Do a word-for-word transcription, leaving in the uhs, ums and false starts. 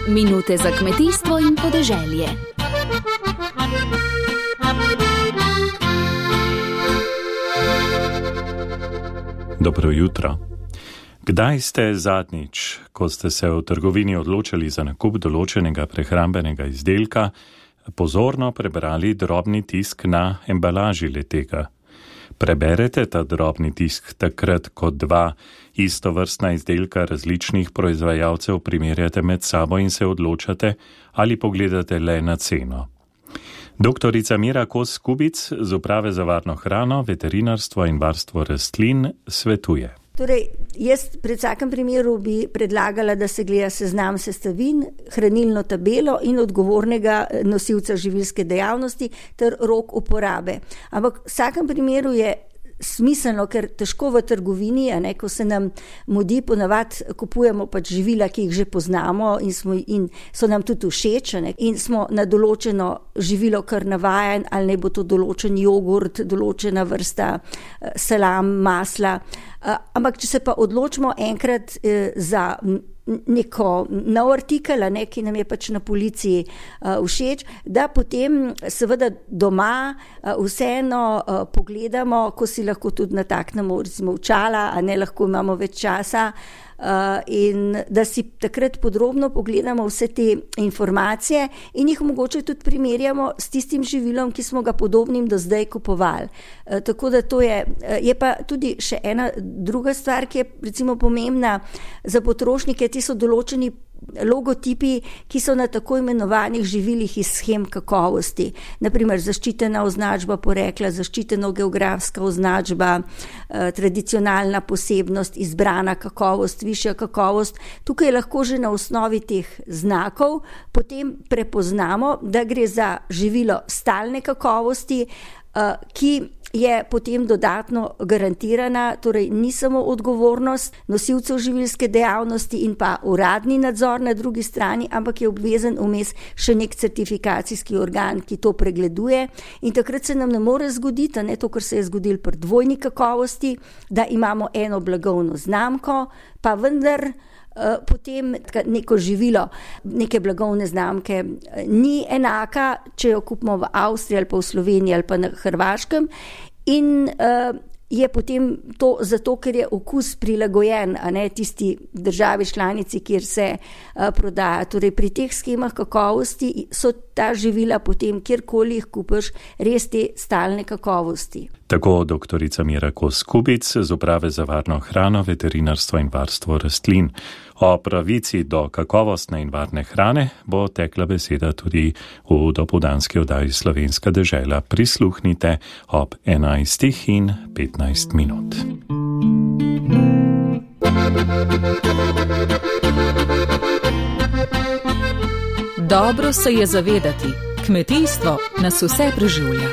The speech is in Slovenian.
Minute za kmetijstvo in podeželje. Dobro jutro. Kdaj ste zadnjič, ko ste se v trgovini odločili za nakup določenega prehrambenega izdelka, pozorno prebrali drobni tisk na embalaži letega? Preberete ta drobni tisk takrat, ko dva istovrstna izdelka različnih proizvajalcev primerjate med sabo in se odločate, ali pogledate le na ceno? Doktorica Mira Kos Kubic z Uprave za varno hrano, veterinarstvo in varstvo rastlin svetuje. Torej, jaz pred vsakem primeru bi predlagala, da se gleda seznam sestavin, hranilno tabelo in odgovornega nosilca živilske dejavnosti ter rok uporabe. Ampak v vsakem primeru je smiselno, ker težko v trgovini, a ne, ko se nam mudi, ponavadi kupujemo pač živila, ki jih že poznamo in, smo, in so nam tudi všeč, ne, in smo na določeno živilo kar navajen, ali ne bo to določen jogurt, določena vrsta salam, masla. Ampak če se pa odločimo enkrat za neko nov artikel, ne, ki nam je pač na policiji uh, všeč, da potem seveda doma uh, vseeno uh, pogledamo, ko si lahko tudi nataknemo recimo očala, a ne lahko imamo več časa, uh, in da si takrat podrobno pogledamo vse te informacije in jih mogoče tudi primerjamo s tistim živilom, ki smo ga podobnim do zdaj kupovali. Uh, tako da to je, uh, je pa tudi še ena druga stvar, ki je recimo pomembna za potrošnike. Ti so določeni logotipi, ki so na tako imenovanih živilih iz shem kakovosti. Naprimer, zaščitena označba porekla, zaščitena geografska označba, eh, tradicionalna posebnost, izbrana kakovost, višja kakovost. Tukaj lahko že na osnovi teh znakov potem prepoznamo, da gre za živilo stalne kakovosti, eh, ki je potem dodatno garantirana, torej ni samo odgovornost nosilcev živilske dejavnosti in pa uradni nadzor na drugi strani, ampak je obvezen vmes še nek certifikacijski organ, ki to pregleduje, in takrat se nam ne more zgoditi, ne to, kar se je zgodilo pri dvojni kakovosti, da imamo eno blagovno znamko, pa vendar potem neko živilo, neke blagovne znamke ni enaka, če jo kupimo v Avstriji ali pa v Sloveniji ali pa na Hrvaškem, in uh, je potem to zato, ker je okus prilagojen, a ne tisti državi članici, kjer se uh, prodaja. Torej pri teh schemah kakovosti so ta živila potem, kjerkoli jih kupiš, res te stalne kakovosti. Tako doktorica Mira Kos Kubic z Uprave za varno hrano, veterinarstvo in varstvo rastlin. O pravici do kakovostne in varne hrane bo tekla beseda tudi v dopoldanski oddaji Slovenska dežela. Prisluhnite ob enajstih in petnajst minut. Dobro se je zavedati, kmetijstvo nas vse preživlja.